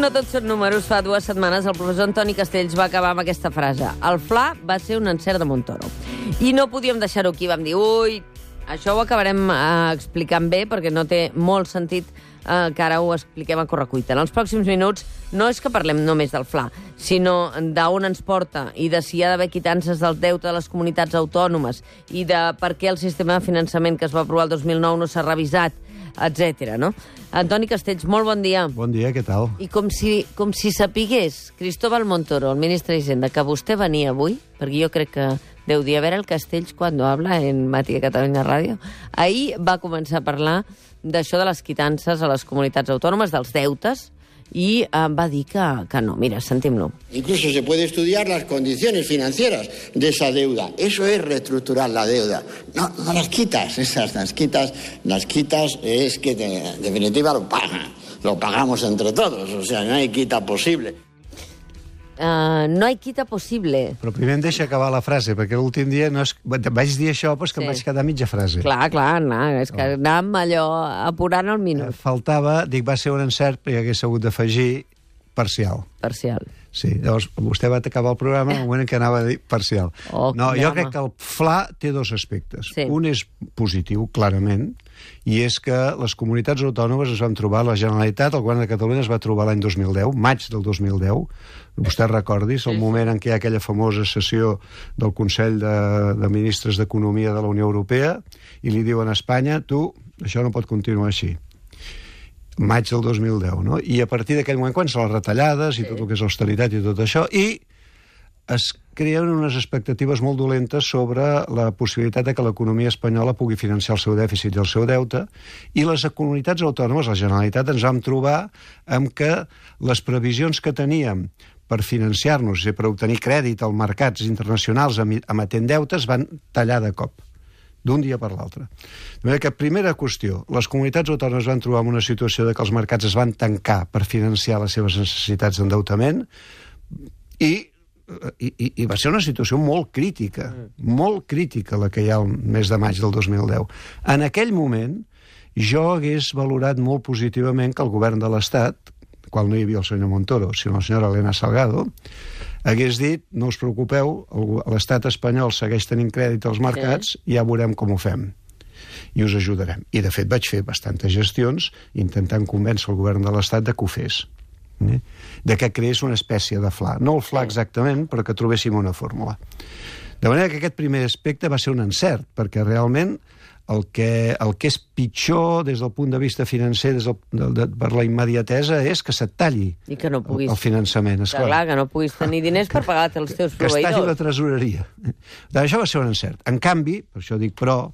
No tot són números. Fa 2 setmanes el professor Antoni Castells va acabar amb aquesta frase. El Fla va ser un encert de Montoro. I no podíem deixar-ho aquí. Vam dir, això ho acabarem explicant bé, perquè no té molt sentit que ara ho expliquem a correcuita. En els pròxims minuts no és que parlem només del Fla, sinó d'on ens porta i de si hi ha d'haver quitances del deute de les comunitats autònomes i de per què el sistema de finançament que es va aprovar el 2009 no s'ha revisat, etc. No? Antoni Castells, molt bon dia. Bon dia, què tal? I com si sapigués Cristóbal Montoro, el ministre d'Hisenda, que vostè venia avui, perquè jo crec que deu dir a veure el Castells cuando habla en Mati de Catalunya Ràdio, ahir va començar a parlar d'això de les quitances a les comunitats autònomes, dels deutes, y va dir que no. Mira, sentim-lo. Incluso se puede estudiar las condiciones financieras de esa deuda. Eso es reestructurar la deuda. No las quitas, las quitas es que en definitiva lo pagamos entre todos, o sea, no hay quita posible. No hay quita possible. Però primer em deixa acabar la frase, perquè l'últim dia vaig dir això, però és que em vaig quedar mitja frase. Clar, és que anàvem allò apurant el minut. Faltava, va ser un encert, però hi hagués hagut d'afegir parcial. Parcial. Sí, llavors vostè va acabar el programa en el moment en què anava a dir parcial. Jo crec que el Fla té 2 aspectes. Sí. Un és positiu, clarament, i és que les comunitats autònomes es van trobar, la Generalitat, el govern de Catalunya es va trobar l'any 2010, maig del 2010, vostè recordis, el moment en què hi ha aquella famosa sessió del Consell de Ministres d'Economia de la Unió Europea, i li diuen a Espanya, tu, això no pot continuar així. Maig del 2010, no? I a partir d'aquell moment, quan són les retallades i tot el que és austeritat i tot això, i es creen unes expectatives molt dolentes sobre la possibilitat de que l'economia espanyola pugui financiar el seu dèficit i el seu deute, i les comunitats autònomes, la Generalitat, ens vam trobar amb que les previsions que teníem per financiar-nos i per obtenir crèdit als mercats internacionals emetent deutes van tallar de cop, d'un dia per l'altre. De manera que, primera qüestió, les comunitats autònomes van trobar en una situació de que els mercats es van tancar per financiar les seves necessitats d'endeutament i va ser una situació molt crítica la que hi ha el mes de maig del 2010. En aquell moment, jo hagués valorat molt positivament que el govern de l'Estat, qual no hi havia el senyor Montoro, sinó la senyora Elena Salgado, hagués dit, no us preocupeu, l'estat espanyol segueix tenint crèdit als mercats, ja veurem com ho fem, i us ajudarem. I, de fet, vaig fer bastantes gestions intentant convèncer el govern de l'estat de que ho fes, de que creés una espècie de Fla. No el Fla exactament, però que trobéssim una fórmula. De manera que aquest primer aspecte va ser un encert, perquè realment el que és pitjor des del punt de vista financer, per la immediatesa, és que se't talli el finançament. Clar, que no puguis tenir diners per pagar els teus proveïdors. Que es talli la tresoreria. Això va ser un encert. En canvi, per això dic però,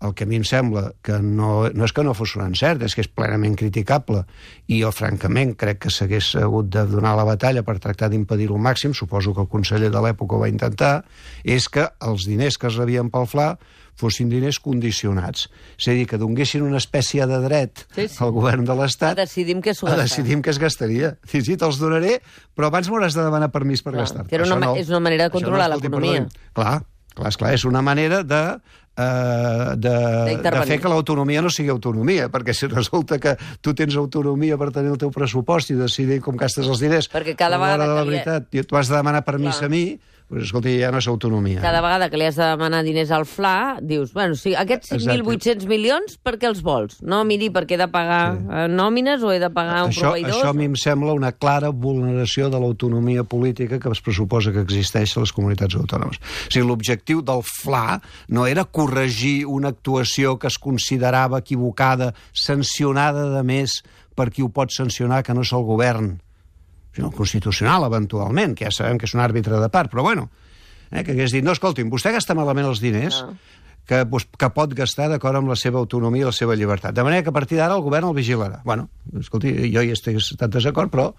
el que a mi em sembla que no és que no fos un encert, és que és plenament criticable, i jo, francament, crec que s'hagués hagut de donar la batalla per tractar d'impedir-ho al màxim, suposo que el conseller de l'època ho va intentar, és que els diners que es rebien pel Fla fossin diners condicionats. És a dir, que donguessin una espècie de dret al govern de l'Estat a decidir què es gastaria. Sí, te'ls donaré, però abans m'hauràs de demanar permís per gastar-te. És una manera de controlar l'economia. Clar, és una manera de fer que l'autonomia no sigui autonomia, perquè si resulta que tu tens autonomia per tenir el teu pressupost i decidir com gastes els diners, perquè cada vegada de la veritat tu has de demanar permís a mi, doncs, escolta, ja no és autonomia. Cada vegada que li has de demanar diners al Fla, dius, bueno, sí, aquests 5.800 milions, per què els vols? No miri perquè he de pagar nòmines o he de pagar un proveïdor? Això a mi em sembla una clara vulneració de l'autonomia política que es pressuposa que existeix a les comunitats autònomes. O sigui, l'objectiu del Fla no era corregir una actuació que es considerava equivocada, sancionada de més per qui ho pot sancionar, que no és el govern, sinó el Constitucional, eventualment, que ja sabem que és un àrbitre de part, però bueno, que hagués dit, no, escolti'm, vostè gasta malament els diners que pot gastar d'acord amb la seva autonomia i la seva llibertat. De manera que a partir d'ara el govern el vigilarà. Bueno, escolti, jo hi estic en desacord, però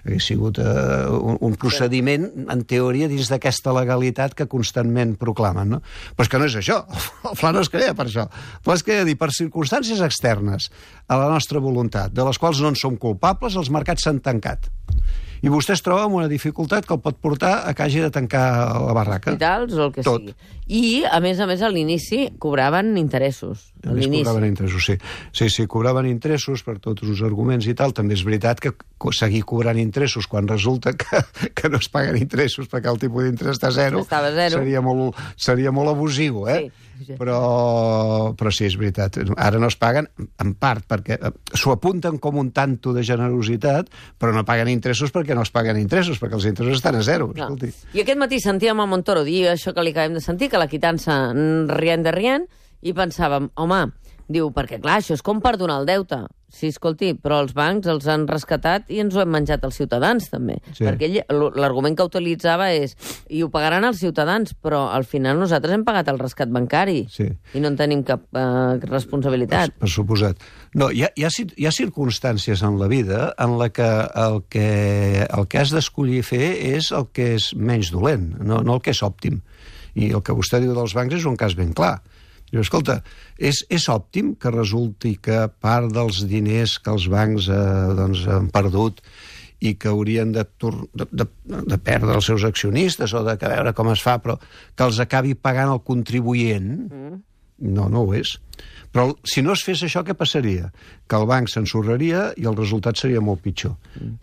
hagués sigut un procediment, en teoria, dins d'aquesta legalitat que constantment proclamen, no? Però és que no és això. El Fla no es crea per això. El Fla es crea per circumstàncies externes a la nostra voluntat, de les quals no en som culpables, els mercats s'han tancat. I vostè es troba amb una dificultat que el pot portar a que hagi de tancar la barraca. Hospitals o el que sigui. I, a més, a l'inici cobraven interessos. A més, cobraven interessos, sí. Sí, cobraven interessos per tots els arguments i tal. També és veritat que seguir cobrant interessos quan resulta que no es paguen interessos perquè el tipus d'interès està zero, seria molt abusiu, eh? Sí. Però sí, és veritat. Ara no es paguen, en part, perquè s'ho apunten com un tanto de generositat, però no paguen interessos perquè no es paguen interessos, perquè els interessos estan a zero. I aquest matí sentíem a Montoro dir això que li acabem de sentir, que la quitança rient, i pensàvem, home, diu, perquè clar, això és com perdonar el deute. Sí, escolti, però els bancs els han rescatat i ens ho hem menjat els ciutadans, també. Sí. Perquè l'argument que utilitzava és, i ho pagaran els ciutadans, però al final nosaltres hem pagat el rescat bancari i no en tenim cap responsabilitat. Per suposat. No, hi ha circumstàncies en la vida en la que el que has d'escollir fer és el que és menys dolent, no el que és òptim. I el que vostè diu dels bancs és un cas ben clar. Diu, escolta, és òptim que resulti que part dels diners que els bancs han perdut i que haurien de perdre els seus accionistes o de veure com es fa, però que els acabi pagant el contribuent? No ho és. Però si no es fes això, què passaria? Que el banc s'ensorraria i el resultat seria molt pitjor.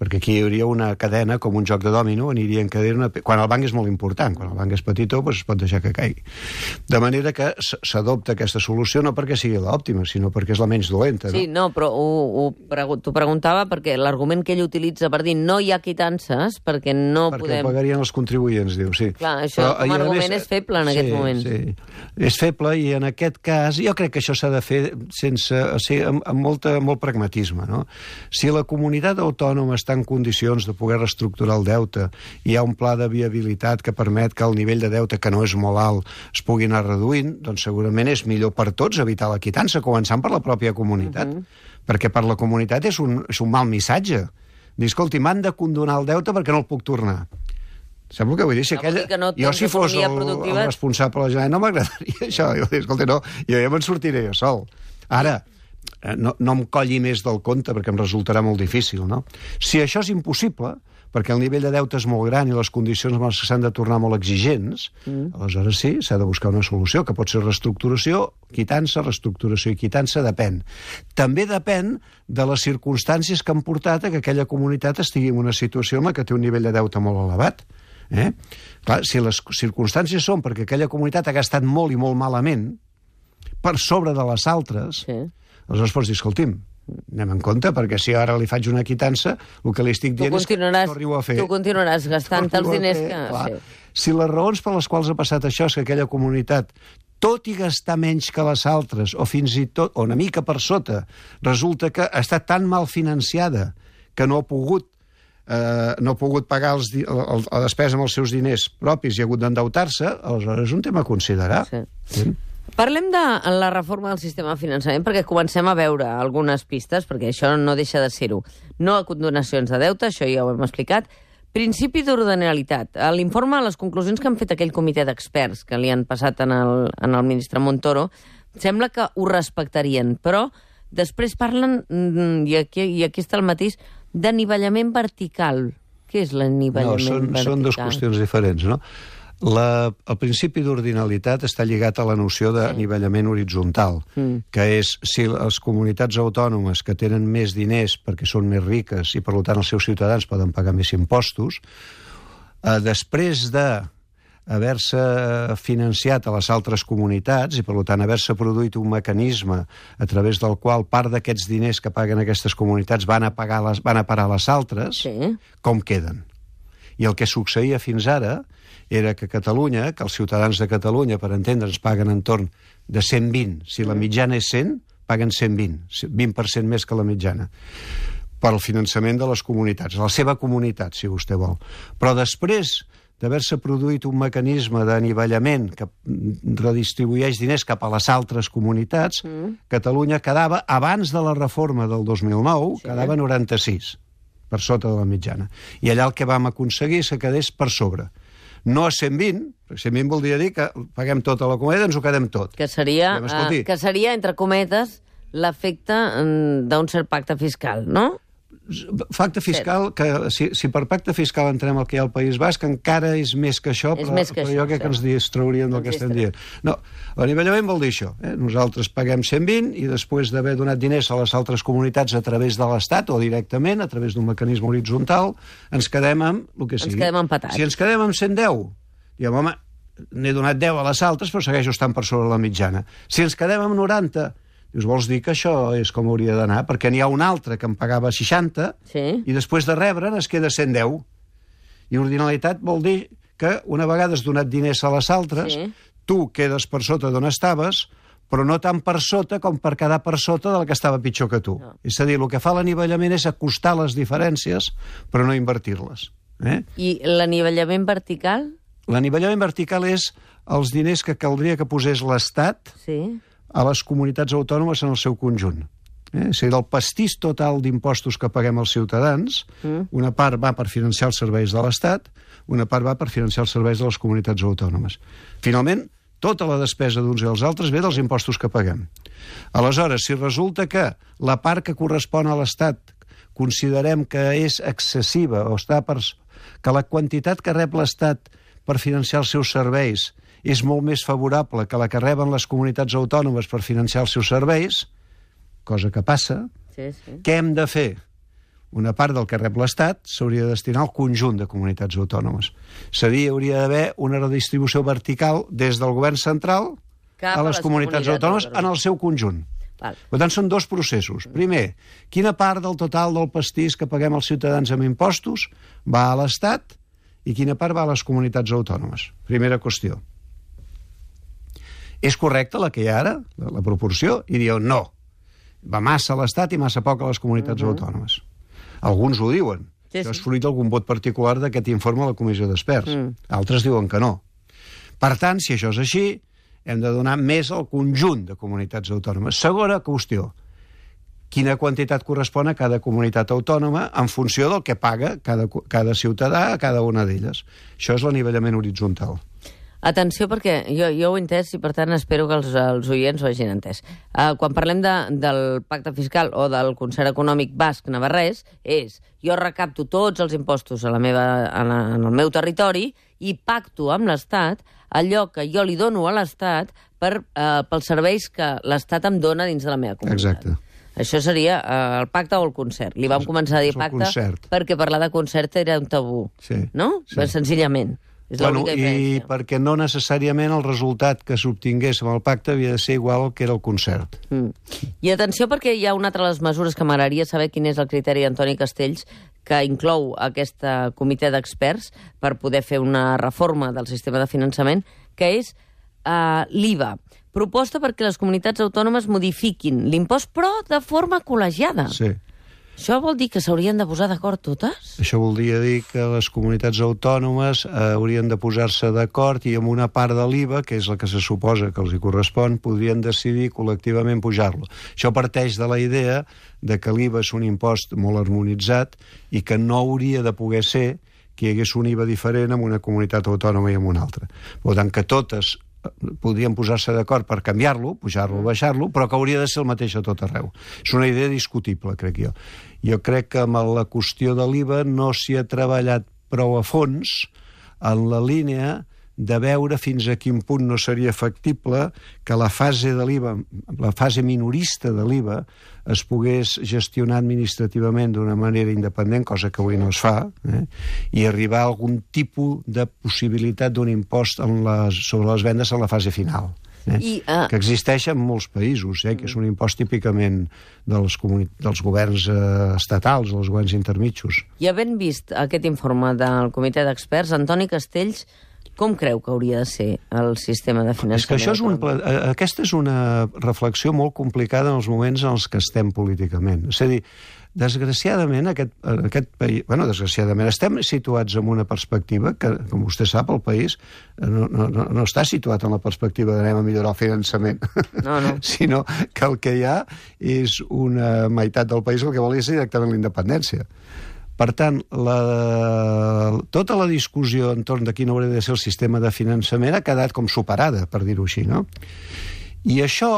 Perquè aquí hi hauria una cadena, com un joc de dòmino, aniria en cadena... Quan el banc és molt important, quan el banc és petitó, doncs es pot deixar que caigui. De manera que s'adopta aquesta solució no perquè sigui l'òptima, sinó perquè és la menys dolenta. Sí, no, però t'ho preguntava perquè l'argument que ell utilitza per dir no hi ha quitances, perquè no podem... Perquè pagarien els contribuents, diu, sí. Clar, això com a argument és feble en aquest moment. Sí, és feble i en aquest cas jo crec que això s'ha de fer amb molt pragmatisme, no? Si la comunitat autònoma està en condicions de poder reestructurar el deute i hi ha un pla de viabilitat que permet que el nivell de deute, que no és molt alt, es pugui anar reduint, doncs segurament és millor per tots evitar la quitança, començant per la pròpia comunitat. Perquè per la comunitat és un mal missatge. Dir, escolti, m'han de condonar el deute perquè no el puc tornar. Sap el que vull dir? Jo, si fos el responsable de la Generalitat, no m'agradaria això. Jo dic, escolta, no, jo ja me'n sortiré jo sol. Ara, no em colli més del compte perquè em resultarà molt difícil, no? Si això és impossible, perquè el nivell de deute és molt gran i les condicions amb les que s'han de tornar molt exigents, aleshores sí, s'ha de buscar una solució, que pot ser reestructuració, quitança, reestructuració i quitança, depèn. També depèn de les circumstàncies que han portat a que aquella comunitat estigui en una situació en la que té un nivell de deute molt elevat. Clar, si les circumstàncies són perquè aquella comunitat ha gastat molt i molt malament per sobre de les altres, aleshores pots dir, escolti'm, anem en compte, perquè si ara li faig una quitança, el que li estic dient és que torni-ho a fer. Tu continuaràs gastant els diners que... Si les raons per les quals ha passat això és que aquella comunitat, tot i gastar menys que les altres, o fins i tot, o una mica per sota, resulta que ha estat tan mal financiada que no ha pogut pagar la despesa amb els seus diners propis i ha hagut d'endeutar-se, aleshores és un tema a considerar. Parlem de la reforma del sistema de finançament perquè comencem a veure algunes pistes, perquè això no deixa de ser-ho. No a condonacions de deute, això ja ho hem explicat. Principi d'ordinalitat. A l'informe, les conclusions que han fet aquell comitè d'experts que li han passat en el ministre Montoro, sembla que ho respectarien, però després parlen, i aquí està el matís, d'anivellament vertical. Què és l'anivellament vertical? Són dues qüestions diferents, no? El principi d'ordinalitat està lligat a la noció d'anivellament horitzontal, que és si les comunitats autònomes que tenen més diners perquè són més riques i per tant els seus ciutadans poden pagar més impostos, després d'haver-se financiat a les altres comunitats i per tant haver-se produït un mecanisme a través del qual part d'aquests diners que paguen aquestes comunitats van a parar a les altres, com queden? I el que succeïa fins ara era que Catalunya, que els ciutadans de Catalunya, per entendre'ns, paguen entorn de 120. Si la mitjana és 100, paguen 120, 20% més que la mitjana, per al finançament de les comunitats, la seva comunitat, si vostè vol. Però després d'haver-se produït un mecanisme d'anivellament que redistribueix diners cap a les altres comunitats, Catalunya quedava, abans de la reforma del 2009, quedava 96, per sota de la mitjana. I allà el que vam aconseguir és que quedés per sobre. No a 120, perquè 120 voldria dir que paguem tota la comèdia, ens ho quedem tot. Que seria, entre cometes, l'efecte d'un cert pacte fiscal, no? Pacte fiscal, que si per pacte fiscal entrem al que hi ha al País Basc, encara és més que això, però jo crec que ens distrauríem del que estem dient. No, l'anivellament vol dir això. Nosaltres paguem 120 i després d'haver donat diners a les altres comunitats a través de l'Estat o directament, a través d'un mecanisme horitzontal, ens quedem amb el que sigui. Ens quedem empatats. Si ens quedem amb 110, diem, home, n'he donat 10 a les altres, però segueixo estant per sobre la mitjana. Si ens quedem amb 90, dius, vols dir que això és com hauria d'anar? Perquè n'hi ha un altre que em pagava 60 i després de rebre'n es queda 110. I ordinalitat vol dir que una vegada has donat diners a les altres, tu quedes per sota d'on estaves, però no tan per sota com per quedar per sota del que estava pitjor que tu. És a dir, el que fa l'anivellament és acostar les diferències, però no invertir-les. I l'anivellament vertical? L'anivellament vertical és els diners que caldria que posés l'Estat a les comunitats autònomes en el seu conjunt. És a dir, del pastís total d'impostos que paguem els ciutadans, una part va per financiar els serveis de l'Estat, una part va per financiar els serveis de les comunitats autònomes. Finalment, tota la despesa d'uns i dels altres ve dels impostos que paguem. Aleshores, si resulta que la part que correspon a l'Estat considerem que és excessiva o que la quantitat que rep l'Estat per financiar els seus serveis és molt més favorable que la que reben les comunitats autònomes per financiar els seus serveis, cosa que passa, què hem de fer? Una part del que rep l'Estat s'hauria de destinar al conjunt de comunitats autònomes. És a dir, hauria d'haver una redistribució vertical des del govern central a les comunitats autònomes en el seu conjunt. Per tant, són dos processos. Primer, quina part del total del pastís que paguem els ciutadans amb impostos va a l'Estat i quina part va a les comunitats autònomes? Primera qüestió. És correcta la que hi ha ara, la proporció? I dieu, no. Va massa a l'Estat i massa poc a les comunitats autònomes. Alguns ho diuen. Això és fruit d'algun vot particular d'aquest informe a la Comissió d'Experts. Altres diuen que no. Per tant, si això és així, hem de donar més al conjunt de comunitats autònomes. Segona qüestió. Quina quantitat correspon a cada comunitat autònoma en funció del que paga cada ciutadà a cada una d'elles. Això és l'anivellament horitzontal. Atenció, perquè jo ho he entès i, per tant, espero que els oients ho hagin entès. Quan parlem del pacte fiscal o del concert econòmic basc-navarrès, jo recapto tots els impostos en el meu territori i pacto amb l'Estat allò que jo li dono a l'Estat pels serveis que l'Estat em dona dins de la meva comunitat. Exacte. Això seria el pacte o el concert. Li vam començar a dir pacte perquè parlar de concert era un tabú, no? Senzillament. I perquè no necessàriament el resultat que s'obtingués amb el pacte havia de ser igual que era el concert. I atenció, perquè hi ha una altra de les mesures que m'agradaria saber quin és el criteri d'Antoni Castells que inclou aquest comitè d'experts per poder fer una reforma del sistema de finançament, que és l'IVA. Proposta perquè les comunitats autònomes modifiquin l'impost, però de forma col·legiada. Sí. Això vol dir que s'haurien de posar d'acord totes? Això voldria dir que les comunitats autònomes haurien de posar-se d'acord i amb una part de l'IVA, que és la que se suposa que els hi correspon, podrien decidir col·lectivament pujar-lo. Això parteix de la idea de que l'IVA és un impost molt harmonitzat i que no hauria de poder ser que hi hagués un IVA diferent en una comunitat autònoma i en una altra. Per tant, que totes podrien posar-se d'acord per canviar-lo, pujar-lo o baixar-lo, però que hauria de ser el mateix a tot arreu. És una idea discutible, crec jo. Jo crec que amb la qüestió de l'IVA no s'hi ha treballat prou a fons en la línia de veure fins a quin punt no seria factible que la fase de l'IVA, la fase minorista de l'IVA, es pogués gestionar administrativament d'una manera independent, cosa que avui no es fa, i arribar a algun tipus de possibilitat d'un impost sobre les vendes en la fase final. Que existeix en molts països, que és un impost típicament dels governs estatals, dels governs intermitjos. I havent vist aquest informe del comitè d'experts, Antoni Castells, com creu que hauria de ser el sistema de finançament? És que això aquesta és una reflexió molt complicada en els moments en els que estem políticament. És a dir, desgraciadament, aquest país... desgraciadament, estem situats en una perspectiva que, com vostè sap, el país no està situat en la perspectiva d'anem a millorar el finançament, sinó que el que hi ha és una meitat del país el que volia ser directament la independència. Per tant, tota la discussió entorn de quin hauria de ser el sistema de finançament ha quedat com superada, per dir-ho així, no? I això,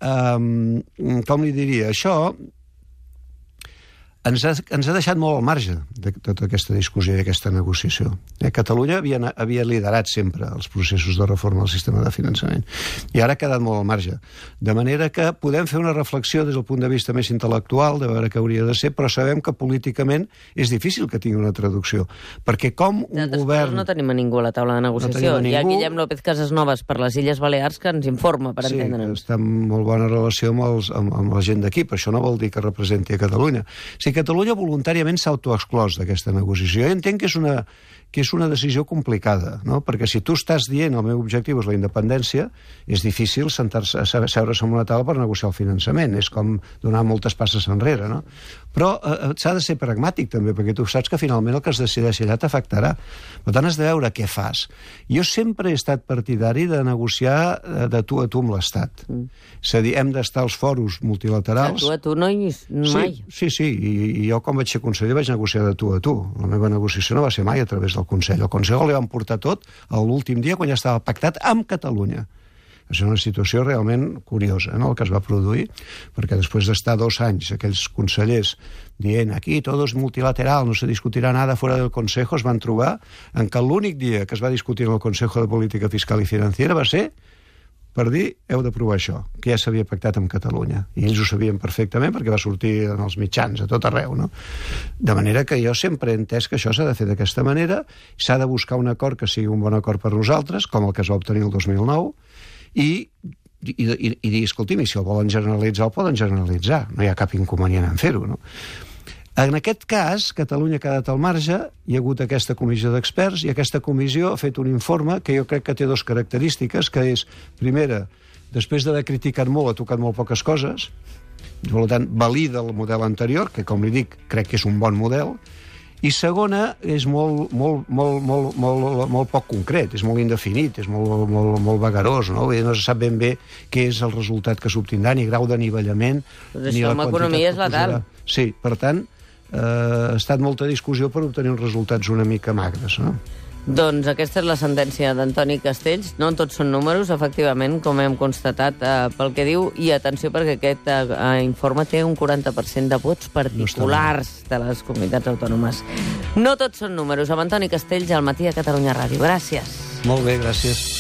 com li diria, això ens ha deixat molt al marge de tota aquesta discussió i d'aquesta negociació. Catalunya havia liderat sempre els processos de reforma del sistema de finançament i ara ha quedat molt al marge. De manera que podem fer una reflexió des del punt de vista més intel·lectual de veure què hauria de ser, però sabem que políticament és difícil que tingui una traducció. Perquè com un govern... No tenim a ningú a la taula de negociació. Hi ha Guillem López Casasnovas per les Illes Balears que ens informa, per entendre'ns. Sí, està en molt bona relació amb la gent d'aquí, però això no vol dir que representi a Catalunya. Si Catalunya voluntàriament s'ha autoexclòs d'aquesta negociació, jo entenc que és una decisió complicada, no? Perquè si tu estàs dient el meu objectiu és la independència, és difícil seure's en una taula per negociar el finançament, és com donar moltes passes enrere, no? Però s'ha de ser pragmàtic també, perquè tu saps que finalment el que es decideix allà t'afectarà. Per tant, has de veure què fas. Jo sempre he estat partidari de negociar de tu a tu amb l'Estat. És a dir, hem d'estar als foros multilaterals... De tu a tu no hi mai. Sí, i jo quan vaig ser conseller vaig negociar de tu a tu. La meva negociació no va ser mai a través del Consell. El Consell li van portar tot l'últim dia quan ja estava pactat amb Catalunya. És una situació realment curiosa, no?, el que es va produir, perquè després d'estar 2 anys aquells consellers dient aquí tot és multilateral, no se discutirà nada fora del Consejo, es van trobar en que l'únic dia que es va discutir en el Consejo de Política Fiscal i Financiera va ser per dir, heu d'aprovar això, que ja s'havia pactat amb Catalunya. I ells ho sabien perfectament perquè va sortir en els mitjans, a tot arreu, no? De manera que jo sempre he entès que això s'ha de fer d'aquesta manera, s'ha de buscar un acord que sigui un bon acord per nosaltres, com el que es va obtenir el 2009, i dir, escolti'm, si el volen generalitzar, el poden generalitzar. No hi ha cap inconvenient en fer-ho, no? En aquest cas, Catalunya ha quedat al marge, hi ha hagut aquesta comissió d'experts i aquesta comissió ha fet un informe que jo crec que té 2 característiques, que és, primera, després d'haver criticat molt, ha tocat molt poques coses, per tant, valida el model anterior, que, com li dic, crec que és un bon model, i segona, és molt poc concret, és molt indefinit, és molt vagarós, no? No se sap ben bé què és el resultat que s'obtindrà, ni grau d'anivellament, ni la quantitat que posarà. Però això amb economia és letal. Sí, per tant, ha estat molta discussió per obtenir uns resultats una mica magres, no? Doncs aquesta és la sentència d'Antoni Castells. No tots són números, efectivament, com hem constatat pel que diu. I atenció, perquè aquest informe té un 40% de vots particulars de les comunitats autònomes. No tots són números. Amb Antoni Castells, al Matí a Catalunya Ràdio. Gràcies. Molt bé, gràcies.